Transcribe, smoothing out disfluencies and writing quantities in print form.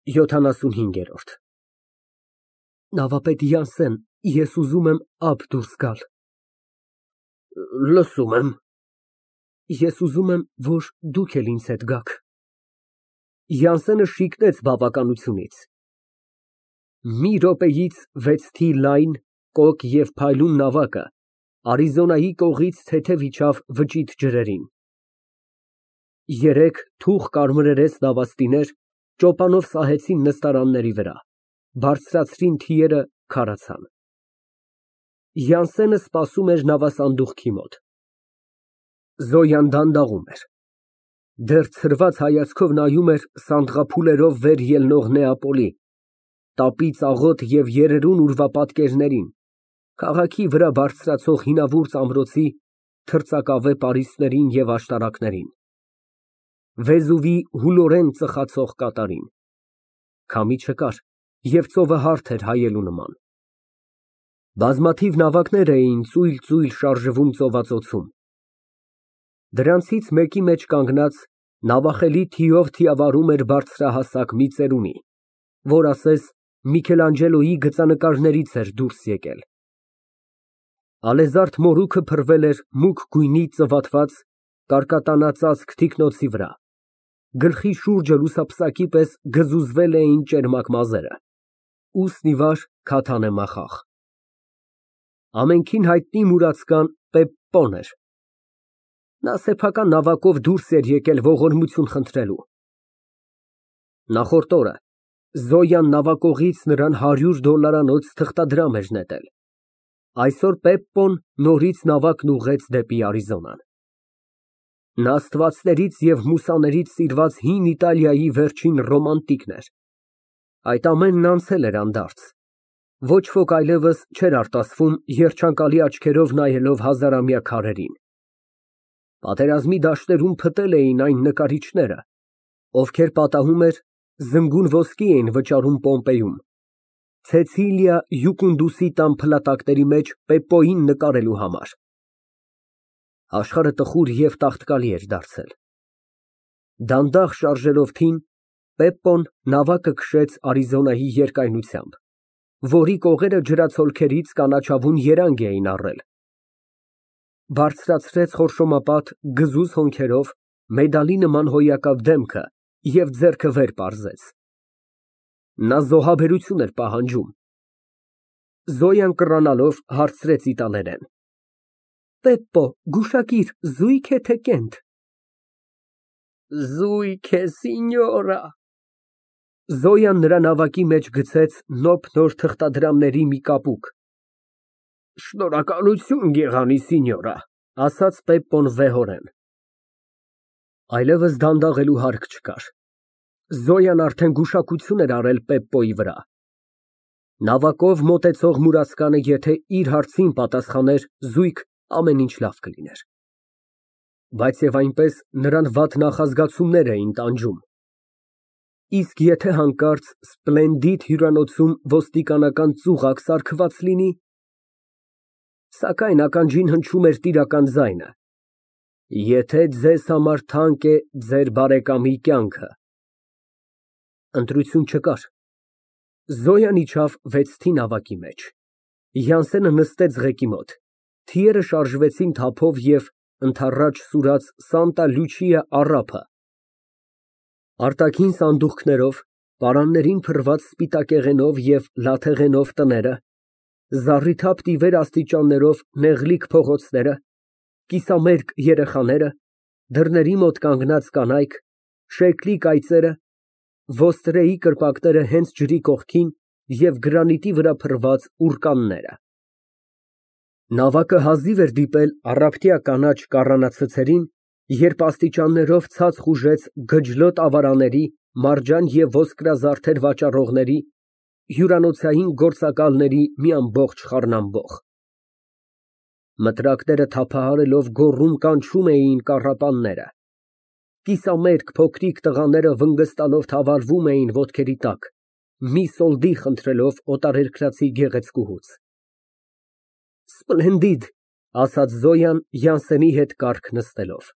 75։ Նավապետ Յանսեն, ես ուզում եմ ափ դուրս գալ։ Լսում եմ։ Ես ուզում եմ, որ դուք էլ ինձ հետ գաք։ Յանսենը շիկնեց բավականությունից։ Մի րոպեից վեցդի լայն, կոկ և փայլուն նավակը Արիզոնայի կողից թեթև իջավ վճիտ ջրերին։ Երեք թուխ կարմրերես նավաստիներ ճոպանով սահեցին նստարանների վրա, բարձրացրին թիերը, քարացան։ Յանսենը սպասում էր նավասանդուղքի մոտ։ Զոյան դանդաղում էր։ Դեռ ցրված հայացքով նայում էր սանդղափուլերով վեր ելնող Նեապոլի, տապից աղոտ և երերուն ուրվապատկերներին, քաղաքի վրա բարձրացող հինավուրց ամրոցի թրծակավե պարիսպներին և աշտարակներին, Վեզուվի հուլորեն ծխացող կատարին։ Քամի չկար և ծովը հարթ էր հայելու նման։ Բազմաթիվ նավակներ էին ծույլ շարժվում ծովածոցում։ Դրանցից մեկի մեջ կանգնած նավախելի թիով թիավարում էր բարձրահասակ մի ծերունի, որ ասես Միքելանջելոյի գծանկարներից էր դուրս եկել։ Ալեզարդ մորուքը փռվել էր մուգ գույնի ծվատված, կարկատանածածկ թիկնոցի վրա, գլխի շուրջը լուսապսակի պես գզուզվել էին ճերմակ մազերը, ուսն ի վար քաթան է մախախ։ Ամենքին հայտնի մուրացկան Պեպպոն էր։ Նա սեփական նավակով դուրս էր եկել ողորմություն խնդրելու։ Նախորդ օրը Զոյան նավակողից նրան $100 թղթադրամ էր նետել։ Այսօր Պեպպոն նորից նավակն ուղղեց դեպի Արիզոնան։ Նա աստվածներից և մուսաներից սիրված հին Իտալիայի վերջին ռոմանտիկն էր։ Այդ ամենն անցել էր անդարձ։ Ոչ ոք այլևս չէր արտասվում երջանկալի աչքերով նայելով հազարամյա քարերին։ Պատերազմի դաշտերում փտել էին այն նկարիչները, ովքեր պատահում էր զնգուն ոսկի էին վճարում Պոմպեյում, Ցեցիլիա Յուկունդուսի տան փլատակների մեջ Պեպպոյին նկարելու համար։ Աշխարհը տխուր և տաղտկալի էր դարձել։ Դանդաղ շարժելով թին, Պեպպոն նավակը քշեց Արիզոնայի երկայնությամբ, որի կողերը ջրացոլքերից կանաչավուն երանգ էին առել, բարձրացրեց խորշոմապատ գզուզ հոնքերով մեդալի նման հոյակապ դեմքը և ձեռքը վեր պարզեց։ Նա զոհաբերություն էր պահանջում։ Զոյան կռանալով հարցրեց իտալերեն. Պեպպո, գուշակիր, զույգ է, թե կենդը։ Զույգ է, սինյորա։ Զոյան նրա նավակի մեջ գցեց նոփ նոր թղթադրամների մի կապուկ։ Շնորհակալություն, գեղանի սինյորա, ասաց Պեպպոն վեհորեն։ Այլևս դանդաղելու հարկ չկար։ Զոյան արդեն գուշակություն էր արել Պեպպոյի վրա։ Նավակով մոտեցող մուրացկանը եթե իր հարցին պատասխաներ զույգ, ամեն ինչ լավ կլիներ։ Բայց և այնպես նրան վատ նախազգացումներ էին տանջում։ Իսկ եթե հանկարծ Սպլենդիդ հյուրանոցում ոստիկանական ծուղակ սարքված լինի։ Սակայն ականջին հնչում էր տիրական ձայնը. Եթե ձեզ համար թանկ է ձեր բարեկամի կյանքը։ Ընտրություն չկար։ Զոյան իջավ վեցդի նավակի մեջ։ Յանսենը նստեց ղեկի մոտ, թիերը շարժվեցին թափով և ընդառաջ սուրաց Սանտա Լյուչիա առափը։ Արտաքին սանդուղքներով, պարաններին փռված սպիտակեղենով և լաթեղենով տները, զառիթափ տիվեր աստիճաններով նեղլիկ փողոցները, կիսամերկ երեխաները, դռների մոտ կանգնած կանայք, շեկլի կայծերը, ոստրեի կրպակները հենց ջրի կողքին և գրանիտի վրա փռված ուռկանները։ Նավակը հազիվ էր դիպել առափտյա կանաչ կառանացցերին, երբ աստիճաններով ցած խուժեց գջլոտ ավարաների, մարջան և ոսկրազարդեր վաճառողների, հյուրանոցային գործակալների մի ամբողջ խառնամբող։ Մտրակները թափահարելով գոռում կանչում էին կառապանները։ Կիսամերկ փոքրիկ տղաները վնգստալով թավալվում էին ոտքերի տակ, մի սոլդի խնդրելով օտարերկրացի գեղեցկուհուց։ Սպլենդիդ, ասաց Զոյան Յանսենի հետ կառք նստելով։